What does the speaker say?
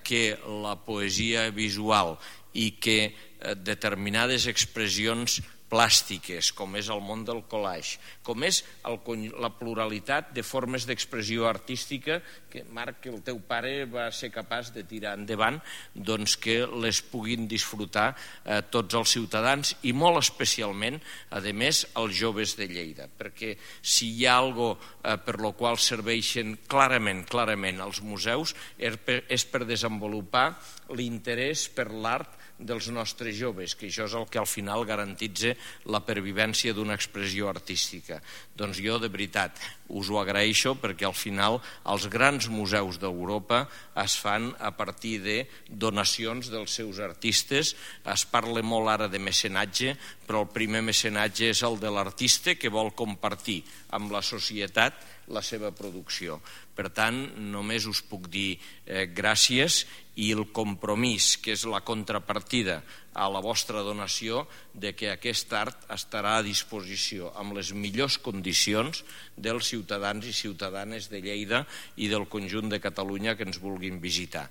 que la poesia visual i que determinades expressions plàstiques, com és el món del collage, com és la pluralitat de formes d'expressió artística que, Marc, el teu pare va ser capaç de tirar endavant, doncs que les puguin disfrutar tots els ciutadans i molt especialment, a més, els joves de Lleida, perquè si hi ha alguna per la qual serveixen clarament els museus és per desenvolupar l'interès per l'art dels nostres joves, que això és el que al final garantitza la pervivència d'una expressió artística. Doncs jo, de veritat, us ho agraeixo perquè al final els grans museus d'Europa es fan a partir de donacions dels seus artistes. Es parla molt ara de mecenatge, però el primer mecenatge és el de l'artista que vol compartir amb la societat la seva producció. Per tant, només us puc dir gràcies i el compromís, que és la contrapartida a la vostra donació, de que aquest art estarà a disposició amb les millors condicions dels ciutadans i ciutadanes de Lleida i del conjunt de Catalunya que ens vulguin visitar.